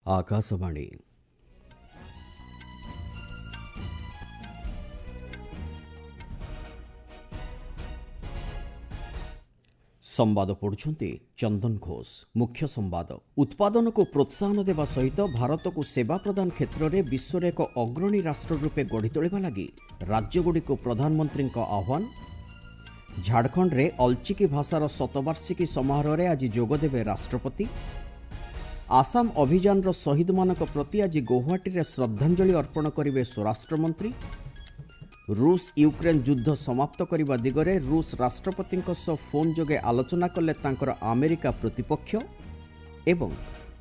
ଆକାଶବାଣୀ। ସମ୍ବାଦ ପଢୁଛନ୍ତି ଚନ୍ଦନ ଘୋଷ। ମୁଖ୍ୟ ସମ୍ବାଦ। ଉତ୍ପାଦନକୁ ପ୍ରୋତ୍ସାହନ ଦେବା ସହିତ ଭାରତକୁ ସେବା ପ୍ରଦାନ କ୍ଷେତ୍ରରେ ବିଶ୍ୱର ଏକ ଅଗ୍ରଣୀ ରାଷ୍ଟ୍ର ରୂପେ ଗଢ଼ି ତୋଳିବା ଲାଗି ରାଜ୍ୟଗୁଡ଼ିକୁ ପ୍ରଧାନମନ୍ତ୍ରୀଙ୍କ ଆହ୍ୱାନ। ଝାଡ଼ଖଣ୍ଡରେ ଅଲଚିକି ଭାଷାର ଶତବାର୍ଷିକୀ ସମାରୋହରେ ଆଜି ଯୋଗଦେବେ ରାଷ୍ଟ୍ରପତି। ଆସାମ ଅଭିଯାନର ଶହୀଦମାନଙ୍କ ପ୍ରତି ଆଜି ଗୌହାଟୀରେ ଶ୍ରଦ୍ଧାଞ୍ଜଳି ଅର୍ପଣ କରିବେ ସ୍ୱରାଷ୍ଟ୍ରମନ୍ତ୍ରୀ। ରୁଷ ୟୁକ୍ରେନ୍ ଯୁଦ୍ଧ ସମାପ୍ତ କରିବା ଦିଗରେ ରୁଷ ରାଷ୍ଟ୍ରପତିଙ୍କ ସହ ଫୋନ୍ ଯୋଗେ ଆଲୋଚନା କଲେ ତାଙ୍କର ଆମେରିକା ପ୍ରତିପକ୍ଷ। ଏବଂ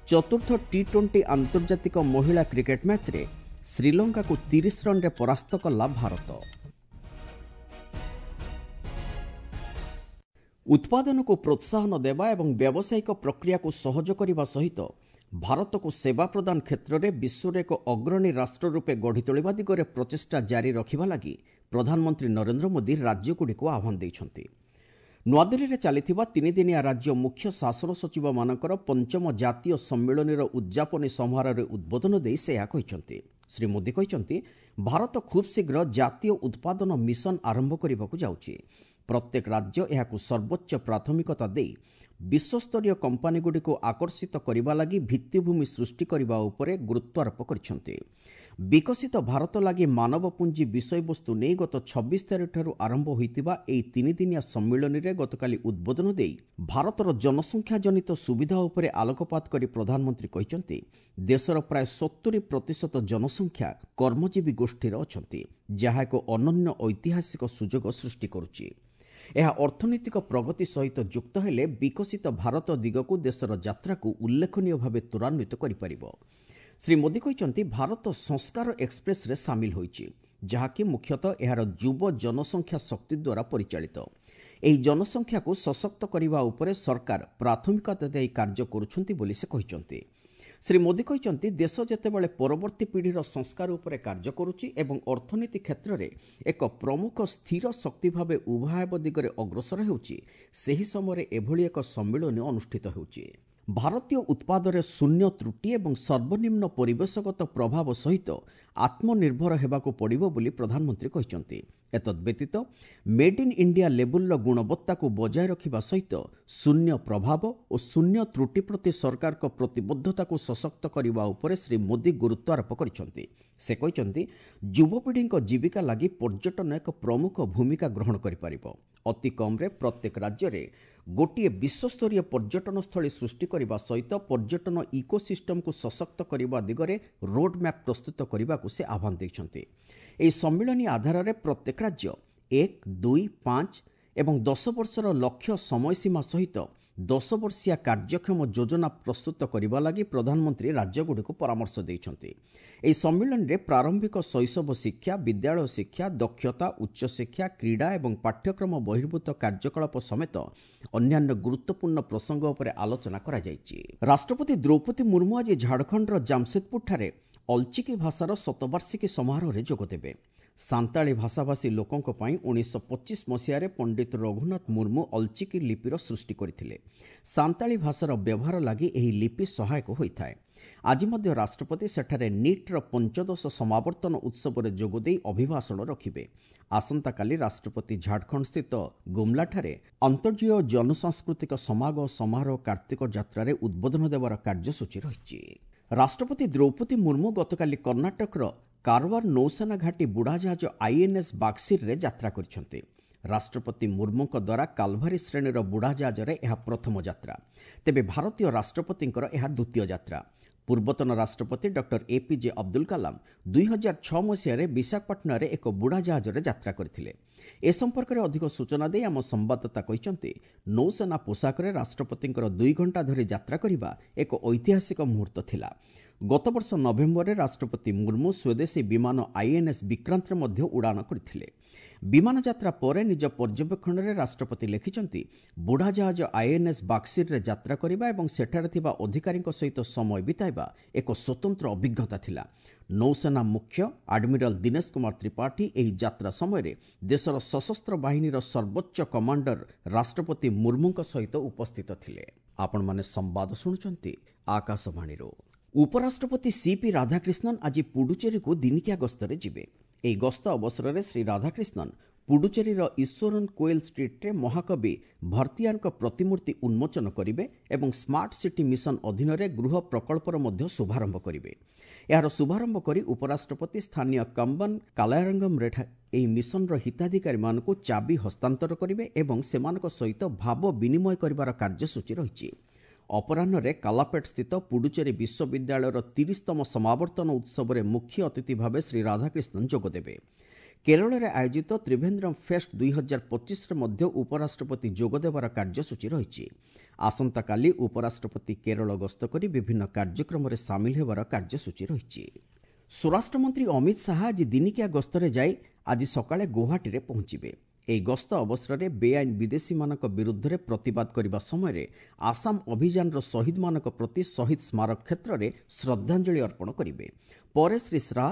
ଚତୁର୍ଥ ଟି-20 ଆନ୍ତର୍ଜାତିକ ମହିଳା କ୍ରିକେଟ୍ ମ୍ୟାଚ୍ରେ ଶ୍ରୀଲଙ୍କାକୁ 30 ରନ୍ରେ ପରାସ୍ତ କଲା ଭାରତ। ଉତ୍ପାଦନକୁ ପ୍ରୋତ୍ସାହନ ଦେବା ଏବଂ ବ୍ୟାବସାୟିକ ପ୍ରକ୍ରିୟାକୁ ସହଜ କରିବା ସହିତ ଭାରତକୁ ସେବା ପ୍ରଦାନ କ୍ଷେତ୍ରରେ ବିଶ୍ୱର ଏକ ଅଗ୍ରଣୀ ରାଷ୍ଟ୍ର ରୂପେ ଗଢ଼ି ତୋଳିବା ଦିଗରେ ପ୍ରଚେଷ୍ଟା ଜାରି ରଖିବା ଲାଗି ପ୍ରଧାନମନ୍ତ୍ରୀ ନରେନ୍ଦ୍ର ମୋଦି ରାଜ୍ୟଗୁଡ଼ିକୁ ଆହ୍ୱାନ ଦେଇଛନ୍ତି। ନୂଆଦିଲ୍ଲୀରେ ଚାଲିଥିବା ତିନିଦିନିଆ ରାଜ୍ୟ ମୁଖ୍ୟ ଶାସନ ସଚିବମାନଙ୍କର ପଞ୍ଚମ ଜାତୀୟ ସମ୍ମିଳନୀର ଉଦ୍ଯାପନୀ ସମାରୋହରେ ଉଦ୍ବୋଧନ ଦେଇ ସେ ଏହା କହିଛନ୍ତି। ଶ୍ରୀ ମୋଦି କହିଛନ୍ତି, ଭାରତ ଖୁବ୍ ଶୀଘ୍ର ଜାତୀୟ ଉତ୍ପାଦନ ମିଶନ ଆରମ୍ଭ କରିବାକୁ ଯାଉଛି। ପ୍ରତ୍ୟେକ ରାଜ୍ୟ ଏହାକୁ ସର୍ବୋଚ୍ଚ ପ୍ରାଥମିକତା ଦେଇ ବିଶ୍ୱସ୍ତରୀୟ କମ୍ପାନୀଗୁଡ଼ିକୁ ଆକର୍ଷିତ କରିବା ଲାଗି ଭିତ୍ତିଭୂମି ସୃଷ୍ଟି କରିବା ଉପରେ ଗୁରୁତ୍ୱାରୋପ କରିଛନ୍ତି। ବିକଶିତ ଭାରତ ଲାଗି ମାନବ ପୁଞ୍ଜି ବିଷୟବସ୍ତୁ ନେଇ ଗତ 26 ତାରିଖଠାରୁ ଆରମ୍ଭ ହୋଇଥିବା ଏହି ତିନିଦିନିଆ ସମ୍ମିଳନୀରେ ଗତକାଲି ଉଦ୍ବୋଧନ ଦେଇ ଭାରତର ଜନସଂଖ୍ୟାଜନିତ ସୁବିଧା ଉପରେ ଆଲୋକପାତ କରି ପ୍ରଧାନମନ୍ତ୍ରୀ କହିଛନ୍ତି, ଦେଶର ପ୍ରାୟ 70% ଜନସଂଖ୍ୟା କର୍ମଜୀବୀ ଗୋଷ୍ଠୀର ଅଛନ୍ତି, ଯାହା ଏକ ଅନନ୍ୟ ଐତିହାସିକ ସୁଯୋଗ ସୃଷ୍ଟି କରୁଛି। ଏହା ଅର୍ଥନୈତିକ ପ୍ରଗତି ସହିତ ଯୁକ୍ତ ହେଲେ ବିକଶିତ ଭାରତ ଦିଗକୁ ଦେଶର ଯାତ୍ରାକୁ ଉଲ୍ଲେଖନୀୟ ଭାବେ ତ୍ୱରାନ୍ୱିତ କରିପାରିବ। ଶ୍ରୀ ମୋଦି କହିଛନ୍ତି, ଭାରତ ସଂସ୍କାର ଏକ୍ସପ୍ରେସରେ ସାମିଲ ହୋଇଛି, ଯାହାକି ମୁଖ୍ୟତଃ ଏହାର ଯୁବ ଜନସଂଖ୍ୟା ଶକ୍ତି ଦ୍ୱାରା ପରିଚାଳିତ। ଏହି ଜନସଂଖ୍ୟାକୁ ସଶକ୍ତ କରିବା ଉପରେ ସରକାର ପ୍ରାଥମିକତା ଦେଇ କାର୍ଯ୍ୟ କରୁଛନ୍ତି ବୋଲି ସେ କହିଛନ୍ତି। ଶ୍ରୀ ମୋଦି କହିଛନ୍ତି, ଦେଶ ଯେତେବେଳେ ପରବର୍ତ୍ତୀ ପିଢ଼ିର ସଂସ୍କାର ଉପରେ କାର୍ଯ୍ୟ କରୁଛି ଏବଂ ଅର୍ଥନୀତି କ୍ଷେତ୍ରରେ ଏକ ପ୍ରମୁଖ ସ୍ଥିର ଶକ୍ତି ଭାବେ ଉଭା ହେବା ଦିଗରେ ଅଗ୍ରସର ହେଉଛି, ସେହି ସମୟରେ ଏଭଳି ଏକ ସମ୍ମିଳନୀ ଅନୁଷ୍ଠିତ ହେଉଛି। ଭାରତୀୟ ଉତ୍ପାଦରେ ଶୂନ୍ୟ ତ୍ରୁଟି ଏବଂ ସର୍ବନିମ୍ନ ପରିବେଶଗତ ପ୍ରଭାବ ସହିତ ଆତ୍ମନିର୍ଭର ହେବାକୁ ପଡ଼ିବ ବୋଲି ପ୍ରଧାନମନ୍ତ୍ରୀ କହିଛନ୍ତି। ଏତଦ୍ବ୍ୟତୀତ ମେଡ୍ ଇନ୍ ଇଣ୍ଡିଆ ଲେବୁଲ୍ର ଗୁଣବତ୍ତାକୁ ବଜାୟ ରଖିବା ସହିତ ଶୂନ୍ୟ ପ୍ରଭାବ ଓ ଶୂନ୍ୟ ତ୍ରୁଟି ପ୍ରତି ସରକାରଙ୍କ ପ୍ରତିବଦ୍ଧତାକୁ ସଶକ୍ତ କରିବା ଉପରେ ଶ୍ରୀ ମୋଦି ଗୁରୁତ୍ୱାରୋପ କରିଛନ୍ତି। ସେ କହିଛନ୍ତି, ଯୁବପିଢ଼ିଙ୍କ ଜୀବିକା ଲାଗି ପର୍ଯ୍ୟଟନ ଏକ ପ୍ରମୁଖ ଭୂମିକା ଗ୍ରହଣ କରିପାରିବ। ଅତି କମ୍ରେ ପ୍ରତ୍ୟେକ ରାଜ୍ୟରେ ଗୋଟିଏ ବିଶ୍ୱସ୍ତରୀୟ ପର୍ଯ୍ୟଟନସ୍ଥଳୀ ସୃଷ୍ଟି କରିବା ସହିତ ପର୍ଯ୍ୟଟନ ଇକୋସିଷ୍ଟମକୁ ସଶକ୍ତ କରିବା ଦିଗରେ ରୋଡ୍ମ୍ୟାପ୍ ପ୍ରସ୍ତୁତ କରିବାକୁ ସେ ଆହ୍ୱାନ ଦେଇଛନ୍ତି। ଏହି ସମ୍ମିଳନୀ ଆଧାରରେ ପ୍ରତ୍ୟେକ ରାଜ୍ୟ 1, 2, 5 ଏବଂ 10 ବର୍ଷର ଲକ୍ଷ୍ୟ ସମୟସୀମା ସହିତ 10 ବର୍ଷିଆ କାର୍ଯ୍ୟକ୍ଷମ ଯୋଜନା ପ୍ରସ୍ତୁତ କରିବା ଲାଗି ପ୍ରଧାନମନ୍ତ୍ରୀ ରାଜ୍ୟଗୁଡ଼ିକୁ ପରାମର୍ଶ ଦେଇଛନ୍ତି। ଏହି ସମ୍ମିଳନୀରେ ପ୍ରାରମ୍ଭିକ ଶୈଶବ ଶିକ୍ଷା, ବିଦ୍ୟାଳୟ ଶିକ୍ଷା, ଦକ୍ଷତା, ଉଚ୍ଚଶିକ୍ଷା, କ୍ରୀଡ଼ା ଏବଂ ପାଠ୍ୟକ୍ରମ ବହିର୍ଭୂତ କାର୍ଯ୍ୟକଳାପ ସମେତ ଅନ୍ୟାନ୍ୟ ଗୁରୁତ୍ୱପୂର୍ଣ୍ଣ ପ୍ରସଙ୍ଗ ଉପରେ ଆଲୋଚନା କରାଯାଇଛି। ରାଷ୍ଟ୍ରପତି ଦ୍ରୌପଦୀ ମୁର୍ମୁ ଆଜି ଝାଡ଼ଖଣ୍ଡର ଜାମସେଦପୁରଠାରେ ଅଲଚିକି ଭାଷାର ଶତବାର୍ଷିକୀ ସମାରୋହରେ ଯୋଗଦେବେ। ସାନ୍ତାଳୀ ଭାଷାଭାଷୀ ଲୋକଙ୍କ ପାଇଁ 1925 ମସିହାରେ ପଣ୍ଡିତ ରଘୁନାଥ ମୁର୍ମୁ ଅଲଚିକି ଲିପିର ସୃଷ୍ଟି କରିଥିଲେ। ସାନ୍ତାଳୀ ଭାଷାର ବ୍ୟବହାର ଲାଗି ଏହି ଲିପି ସହାୟକ ହୋଇଥାଏ। ଆଜି ମଧ୍ୟ ରାଷ୍ଟ୍ରପତି ସେଠାରେ ନିଟ୍ର ପଞ୍ଚଦଶ ସମାବର୍ତ୍ତନ ଉତ୍ସବରେ ଯୋଗଦେଇ ଅଭିଭାଷଣ ରଖିବେ। ଆସନ୍ତାକାଲି ରାଷ୍ଟ୍ରପତି ଝାଡ଼ଖଣ୍ଡସ୍ଥିତ ଗୁମ୍ଲାଠାରେ ଅନ୍ତର୍ଜାତୀୟ ଜନସାଂସ୍କୃତିକ ସମାଗମ ସମାରୋହ କାର୍ତ୍ତିକ ଯାତ୍ରାରେ ଉଦ୍ବୋଧନ ଦେବାର କାର୍ଯ୍ୟସୂଚୀ ରହିଛି। ରାଷ୍ଟ୍ରପତି ଦ୍ରୌପଦୀ ମୁର୍ମୁ ଗତକାଲି କର୍ଣ୍ଣାଟକର କାରୱାର ନୌସେନା ଘାଟି ବୁଡ଼ାଜାହାଜ ଆଇଏନ୍ଏସ୍ ବାକ୍ସିରରେ ଯାତ୍ରା କରିଛନ୍ତି। ରାଷ୍ଟ୍ରପତି ମୁର୍ମୁଙ୍କ ଦ୍ୱାରା କାଲଭାରୀ ଶ୍ରେଣୀର ବୁଡ଼ାଜାହାଜରେ ଏହା ପ୍ରଥମ ଯାତ୍ରା। ତେବେ ଭାରତୀୟ ରାଷ୍ଟ୍ରପତିଙ୍କର ଏହା ଦ୍ୱିତୀୟ ଯାତ୍ରା। ପୂର୍ବତନ ରାଷ୍ଟ୍ରପତି ଡକ୍ଟର ଏପିଜେ ଅବଦୁଲ କାଲାମ 2006 ମସିହାରେ ବିଶାଖାପାଟଣାରେ ଏକ ବୁଡ଼ାଜାହାଜରେ ଯାତ୍ରା କରିଥିଲେ। ଏ ସମ୍ପର୍କରେ ଅଧିକ ସୂଚନା ଦେଇ ଆମ ସମ୍ବାଦଦାତା କହିଛନ୍ତି, ନୌସେନା ପୋଷାକରେ ରାଷ୍ଟ୍ରପତିଙ୍କର 2 ଘଣ୍ଟା ଧରି ଯାତ୍ରା କରିବା ଏକ ଐତିହାସିକ ମୁହୂର୍ତ୍ତ ଥିଲା। ଗତବର୍ଷ ନଭେମ୍ବରରେ ରାଷ୍ଟ୍ରପତି ମୁର୍ମୁ ସ୍ୱଦେଶୀ ବିମାନ ଆଇଏନ୍ଏସ୍ ବିକ୍ରାନ୍ତରେ ମଧ୍ୟ ଉଡ଼ାଣ କରିଥିଲେ। ବିମାନ ଯାତ୍ରା ପରେ ନିଜ ପର୍ଯ୍ୟବେକ୍ଷଣରେ ରାଷ୍ଟ୍ରପତି ଲେଖିଛନ୍ତି, ବୁଢ଼ାଜାହାଜ ଆଇଏନ୍ଏସ୍ ବାକ୍ସିରରେ ଯାତ୍ରା କରିବା ଏବଂ ସେଠାରେ ଥିବା ଅଧିକାରୀଙ୍କ ସହିତ ସମୟ ବିତାଇବା ଏକ ସ୍ୱତନ୍ତ୍ର ଅଭିଜ୍ଞତା ଥିଲା। ନୌସେନା ମୁଖ୍ୟ ଆଡମିରାଲ ଦିନେଶ କୁମାର ତ୍ରିପାଠୀ ଏହି ଯାତ୍ରା ସମୟରେ ଦେଶର ସଶସ୍ତ୍ର ବାହିନୀର ସର୍ବୋଚ୍ଚ କମାଣ୍ଡର ରାଷ୍ଟ୍ରପତି ମୁର୍ମୁଙ୍କ ସହିତ ଉପସ୍ଥିତ ଥିଲେ। ଆପଣମାନେ ସମ୍ବାଦ ଶୁଣୁଛନ୍ତି ଆକାଶବାଣୀରୁ। ଉପରାଷ୍ଟ୍ରପତି ସିପି ରାଧାକ୍ରିଷ୍ଣନ୍ ଆଜି ପୁଡୁଚେରୀକୁ ଦିନିକିଆ ଗସ୍ତରେ ଯିବେ। ଏହି ଗସ୍ତ ଅବସରରେ ଶ୍ରୀ ରାଧାକ୍ରିଷ୍ଣନ୍ ପୁଡୁଚେରୀର ଈଶ୍ୱରନ୍ କୋଏଲ୍ ଷ୍ଟ୍ରିଟ୍ରେ ମହାକବି ଭର୍ତ୍ତିଆରଙ୍କ ପ୍ରତିମୂର୍ତ୍ତି ଉନ୍ମୋଚନ କରିବେ ଏବଂ ସ୍ମାର୍ଟ ସିଟି ମିଶନ ଅଧୀନରେ ଗୃହ ପ୍ରକଳ୍ପର ମଧ୍ୟ ଶୁଭାରମ୍ଭ କରିବେ। ଏହାର ଶୁଭାରମ୍ଭ କରି ଉପରାଷ୍ଟ୍ରପତି ସ୍ଥାନୀୟ କମ୍ବନ କାଲାୟରଙ୍ଗମରେ ଏହି ମିଶନର ହିତାଧିକାରୀମାନଙ୍କୁ ଚାବି ହସ୍ତାନ୍ତର କରିବେ ଏବଂ ସେମାନଙ୍କ ସହିତ ଭାବ ବିନିମୟ କରିବାର କାର୍ଯ୍ୟସୂଚୀ ରହିଛି। ଅପରାହ୍ନରେ କାଲାପେଟ୍ ସ୍ଥିତ ପୁଡୁଚେରୀ ବିଶ୍ୱବିଦ୍ୟାଳୟର 30ତମ ସମାବର୍ତ୍ତନ ଉତ୍ସବରେ ମୁଖ୍ୟ ଅତିଥି ଭାବେ ଶ୍ରୀ ରାଧାକ୍ରିଷ୍ଣନ୍ ଯୋଗଦେବେ। କେରଳରେ ଆୟୋଜିତ ତ୍ରିଭେନ୍ଦ୍ରମ୍ ଫେଷ୍ଟ 2025ରେ ମଧ୍ୟ ଉପରାଷ୍ଟ୍ରପତି ଯୋଗଦେବାର କାର୍ଯ୍ୟସୂଚୀ ରହିଛି। ଆସନ୍ତାକାଲି ଉପରାଷ୍ଟ୍ରପତି କେରଳ ଗସ୍ତ କରି ବିଭିନ୍ନ କାର୍ଯ୍ୟକ୍ରମରେ ସାମିଲ ହେବାର କାର୍ଯ୍ୟସୂଚୀ ରହିଛି। ସ୍ୱରାଷ୍ଟ୍ରମନ୍ତ୍ରୀ ଅମିତ ଶାହା ଆଜି ଦିନିକିଆ ଗସ୍ତରେ ଯାଇ ଆଜି ସକାଳେ ଗୌହାଟୀରେ ପହଞ୍ଚିବେ। ଏହି ଗସ୍ତ ଅବସରରେ ବେଆଇନ ବିଦେଶୀମାନଙ୍କ ବିରୁଦ୍ଧରେ ପ୍ରତିବାଦ କରିବା ସମୟରେ ଆସାମ ଅଭିଯାନର ଶହୀଦମାନଙ୍କ ପ୍ରତି ଶହୀଦ ସ୍ମାରକ କ୍ଷେତ୍ରରେ ଶ୍ରଦ୍ଧାଞ୍ଜଳି ଅର୍ପଣ କରିବେ। ପରେ ଶ୍ରୀ ଶାହା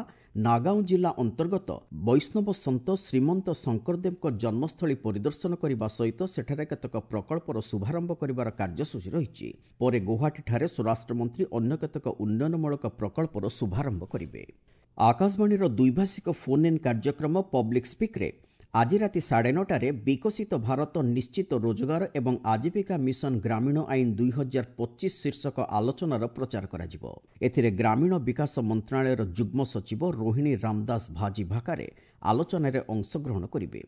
ନାଗାଓଁ ଜିଲ୍ଲା ଅନ୍ତର୍ଗତ ବୈଷ୍ଣବ ସନ୍ଥ ଶ୍ରୀମନ୍ତ ଶଙ୍କରଦେବଙ୍କ ଜନ୍ମସ୍ଥଳୀ ପରିଦର୍ଶନ କରିବା ସହିତ ସେଠାରେ କେତେକ ପ୍ରକଳ୍ପର ଶୁଭାରମ୍ଭ କରିବାର କାର୍ଯ୍ୟସୂଚୀ ରହିଛି। ପରେ ଗୌହାଟୀଠାରେ ସ୍ୱରାଷ୍ଟ୍ରମନ୍ତ୍ରୀ ଅନ୍ୟ କେତେକ ଉନ୍ନୟନମୂଳକ ପ୍ରକଳ୍ପର ଶୁଭାରମ୍ଭ କରିବେ। ଆକାଶବାଣୀର ଦ୍ୱିଭାଷିକ ଫୋନ୍ ଇନ୍ କାର୍ଯ୍ୟକ୍ରମ ପବ୍ଲିକ୍ ସ୍ପିକ୍ରେ ଆଜି ରାତି 9:30ରେ ବିକଶିତ ଭାରତ ନିଶ୍ଚିତ ରୋଜଗାର ଏବଂ ଆଜୀବିକା ମିଶନ ଗ୍ରାମୀଣ ଆଇନ 2025 ଶୀର୍ଷକ ଆଲୋଚନାର ପ୍ରଚାର କରାଯିବ। ଏଥିରେ ଗ୍ରାମୀଣ ବିକାଶ ମନ୍ତ୍ରଣାଳୟର ଯୁଗ୍ମ ସଚିବ ରୋହିଣୀ ରାମଦାସ ଭାଜି ଭାକାରେ ଆଲୋଚନାରେ ଅଂଶଗ୍ରହଣ କରିବେ।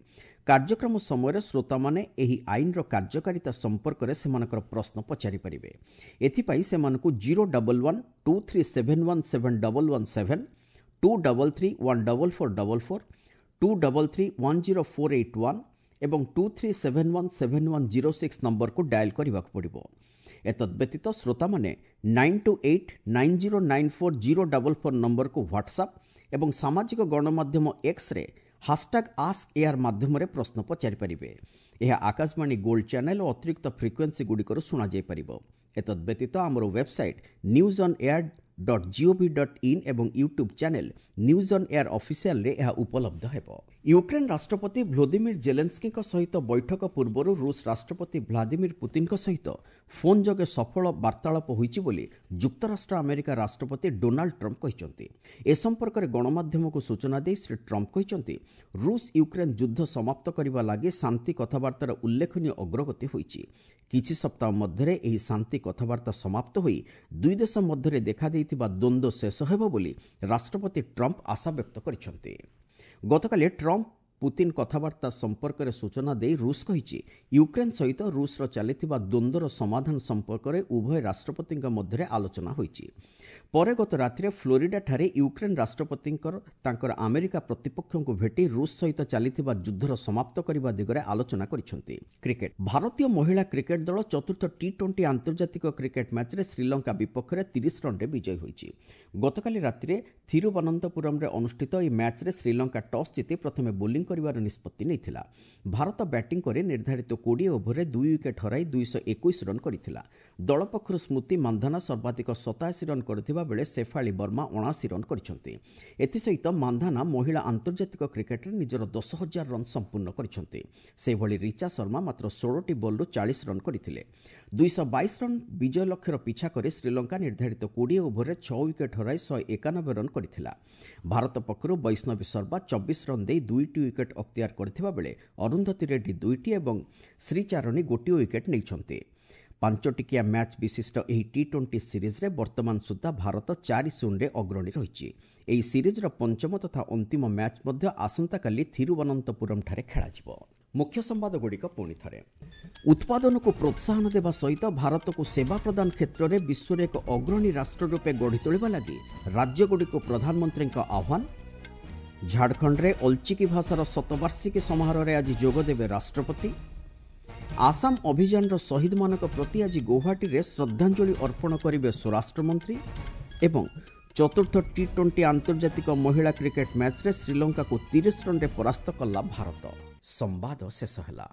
କାର୍ଯ୍ୟକ୍ରମ ସମୟରେ ଶ୍ରୋତାମାନେ ଏହି ଆଇନର କାର୍ଯ୍ୟକାରିତା ସମ୍ପର୍କରେ ସେମାନଙ୍କର ପ୍ରଶ୍ନ ପଚାରିପାରିବେ। ଏଥିପାଇଁ ସେମାନଙ୍କୁ 011 2371 7117, 233 14444, 233 10481 ଏବଂ 2371 7106 ନମ୍ବରକୁ ଡାଏଲ୍ କରିବାକୁ ପଡ଼ିବ। ଏତଦ୍ବ୍ୟତୀତ ଶ୍ରୋତାମାନେ 928 9094 044 ନମ୍ବରକୁ ହ୍ୱାଟ୍ସଆପ୍ ଏବଂ ସାମାଜିକ ଗଣମାଧ୍ୟମ ଏକ୍ସରେ ହାସଟ୍ୟାଗ୍ ଆସ୍କ ଏୟାର ମାଧ୍ୟମରେ ପ୍ରଶ୍ନ ପଚାରିପାରିବେ। ଏହା ଆକାଶବାଣୀ ଗୋଲ୍ଡ ଚ୍ୟାନେଲ୍ ଓ ଅତିରିକ୍ତ ଫ୍ରିକ୍ୱେନ୍ସି ଗୁଡ଼ିକରୁ ଶୁଣାଯାଇପାରିବ। ଏତଦ୍ବ୍ୟତୀତ ଆମର ୱେବସାଇଟ୍ newsonair.gov.in ଏବଂ YouTube channel news on air ଅଫିସିଆଲରେ ଏହା ଉପଲବ୍ଧ ହେବ। ୟୁକ୍ରେନ୍ ରାଷ୍ଟ୍ରପତି ଭ୍ଲୋଦିମିର ଜେଲେନ୍ସ୍କିଙ୍କ ସହିତ ବୈଠକ ପୂର୍ବରୁ ରୁଷ ରାଷ୍ଟ୍ରପତି ଭ୍ଲାଦିମିର ପୁତିନଙ୍କ ସହିତ ଫୋନ୍ ଯୋଗେ ସଫଳ ବାର୍ତ୍ତାଳାପ ହୋଇଛି ବୋଲି ଯୁକ୍ତରାଷ୍ଟ୍ର ଆମେରିକା ରାଷ୍ଟ୍ରପତି ଡୋନାଲ୍ଡ ଟ୍ରମ୍ପ କହିଛନ୍ତି। ଏ ସମ୍ପର୍କରେ ଗଣମାଧ୍ୟମକୁ ସୂଚନା ଦେଇ ଶ୍ରୀ ଟ୍ରମ୍ପ କହିଛନ୍ତି, ରୁଷ ୟୁକ୍ରେନ୍ ଯୁଦ୍ଧ ସମାପ୍ତ କରିବା ଲାଗି ଶାନ୍ତି କଥାବାର୍ତ୍ତାର ଉଲ୍ଲେଖନୀୟ ଅଗ୍ରଗତି ହୋଇଛି। କିଛି ସପ୍ତାହ ମଧ୍ୟରେ ଏହି ଶାନ୍ତି କଥାବାର୍ତ୍ତା ସମାପ୍ତ ହୋଇ ଦୁଇ ଦେଶ ମଧ୍ୟରେ ଦେଖାଦେଇଥିବା ଦ୍ୱନ୍ଦ୍ୱ ଶେଷ ହେବ ବୋଲି ରାଷ୍ଟ୍ରପତି ଟ୍ରମ୍ପ ଆଶାବ୍ୟକ୍ତ କରିଛନ୍ତି। ଗତକାଲି ଟ୍ରମ୍ପ ପୁତିନ କଥାବାର୍ତ୍ତା ସମ୍ପର୍କରେ ସୂଚନା ଦେଇ ରୁଷ କହିଛି, ୟୁକ୍ରେନ୍ ସହିତ ରୁଷର ଚାଲିଥିବା ଦ୍ୱନ୍ଦ୍ୱର ସମାଧାନ ସମ୍ପର୍କରେ ଉଭୟ ରାଷ୍ଟ୍ରପତିଙ୍କ ମଧ୍ୟରେ ଆଲୋଚନା ହୋଇଛି। ପରେ ଗତ ରାତିରେ ଫ୍ଲୋରିଡାଠାରେ ୟୁକ୍ରେନ୍ ରାଷ୍ଟ୍ରପତିଙ୍କର ତାଙ୍କର ଆମେରିକା ପ୍ରତିପକ୍ଷଙ୍କୁ ଭେଟି ରୁଷ ସହିତ ଚାଲିଥିବା ଯୁଦ୍ଧର ସମାପ୍ତ କରିବା ଦିଗରେ ଆଲୋଚନା କରିଛନ୍ତି। କ୍ରିକେଟ। ଭାରତୀୟ ମହିଳା କ୍ରିକେଟ ଦଳ ଚତୁର୍ଥ ଟି-20 ଆନ୍ତର୍ଜାତିକ କ୍ରିକେଟ ମ୍ୟାଚ୍ରେ ଶ୍ରୀଲଙ୍କା ବିପକ୍ଷରେ 30 ରନ୍ରେ ବିଜୟୀ ହୋଇଛି। ଗତକାଲି ରାତିରେ ଥିରୁବନନ୍ତପୁରମରେ ଅନୁଷ୍ଠିତ ଏହି ମ୍ୟାଚ୍ରେ ଶ୍ରୀଲଙ୍କା ଟସ୍ ଜିତି ପ୍ରଥମେ ବୋଲିଂ କରିବାର ନିଷ୍ପତ୍ତି ନେଇଥିଲା। ଭାରତ ବ୍ୟାଟିଂ କରି ନିର୍ଦ୍ଧାରିତ 20 ଓଭରରେ 2 ୱିକେଟ୍ ହରାଇ 221 ରନ୍ କରିଥିଲା। ଦଳ ପକ୍ଷରୁ ସ୍ମୃତି ମାନ୍ଧାନା ସର୍ବାଧିକ 87 ରନ୍ କରିଥିବା ବେଳେ ଶେଫାଳି ବର୍ମା 79 ରନ୍ କରିଛନ୍ତି। ଏଥିସହିତ ମାନ୍ଧାନା ମହିଳା ଆନ୍ତର୍ଜାତିକ କ୍ରିକେଟରେ ନିଜର 10,000 ରନ୍ ସମ୍ପୂର୍ଣ୍ଣ କରିଛନ୍ତି। ସେହିଭଳି ରିଚା ଶର୍ମା ମାତ୍ର 16ଟି ବଲ୍ରୁ 40 ରନ୍ କରିଥିଲେ। 222 ରନ୍ ବିଜୟ ଲକ୍ଷ୍ୟର ପିଛା କରି ଶ୍ରୀଲଙ୍କା ନିର୍ଦ୍ଧାରିତ 20 ଓଭରରେ 6 ୱିକେଟ୍ ହରାଇ 191 ରନ୍ କରିଥିଲା। ଭାରତ ପକ୍ଷରୁ ବୈଷ୍ଣବୀ ଶର୍ମା 24 ରନ୍ ଦେଇ 2ଟି ୱିକେଟ୍ ଅକ୍ତିଆର କରିଥିବା ବେଳେ ଅରୁନ୍ଧତୀ ରେଡ୍ଡି 2ଟି ଏବଂ ଶ୍ରୀଚାରଣୀ 1 ୱିକେଟ୍ ନେଇଛନ୍ତି। 5 ଟିକିଆ ମ୍ୟାଚ୍ ବିଶିଷ୍ଟ ଏହି ଟି-20 ସିରିଜ୍ରେ ବର୍ତ୍ତମାନ ସୁଦ୍ଧା ଭାରତ 4-0ରେ ଅଗ୍ରଣୀ ରହିଛି। ଏହି ସିରିଜ୍ର ପଞ୍ଚମ ତଥା ଅନ୍ତିମ ମ୍ୟାଚ୍ ମଧ୍ୟ ଆସନ୍ତାକାଲି ଥିରୁବନନ୍ତପୁରମଠାରେ ଖେଳାଯିବ। ମୁଖ୍ୟ ସମ୍ବାଦଗୁଡ଼ିକ ପୁଣି ଥରେ। ଉତ୍ପାଦନକୁ ପ୍ରୋତ୍ସାହନ ଦେବା ସହିତ ଭାରତକୁ ସେବା ପ୍ରଦାନ କ୍ଷେତ୍ରରେ ବିଶ୍ୱରେ ଏକ ଅଗ୍ରଣୀ ରାଷ୍ଟ୍ର ରୂପେ ଗଢ଼ି ତୋଳିବା ଲାଗି ରାଜ୍ୟଗୁଡ଼ିକୁ ପ୍ରଧାନମନ୍ତ୍ରୀଙ୍କ ଆହ୍ୱାନ। ଝାଡ଼ଖଣ୍ଡରେ ଅଲଚିକି ଭାଷାର ଶତବାର୍ଷିକୀ ସମାରୋହରେ ଆଜି ଯୋଗଦେବେ ରାଷ୍ଟ୍ରପତି। ଆସାମ ଅଭିଯାନର ଶହୀଦମାନଙ୍କ ପ୍ରତି ଆଜି ଗୌହାଟୀରେ ଶ୍ରଦ୍ଧାଞ୍ଜଳି ଅର୍ପଣ କରିବେ ସ୍ୱରାଷ୍ଟ୍ରମନ୍ତ୍ରୀ। ଏବଂ ଚତୁର୍ଥ ଟି-20 ଆନ୍ତର୍ଜାତିକ ମହିଳା କ୍ରିକେଟ ମ୍ୟାଚ୍ରେ ଶ୍ରୀଲଙ୍କାକୁ 30 ରନ୍ରେ ପରାସ୍ତ କଲା ଭାରତ। ସମ୍ବାଦ ଶେଷ ହେଲା।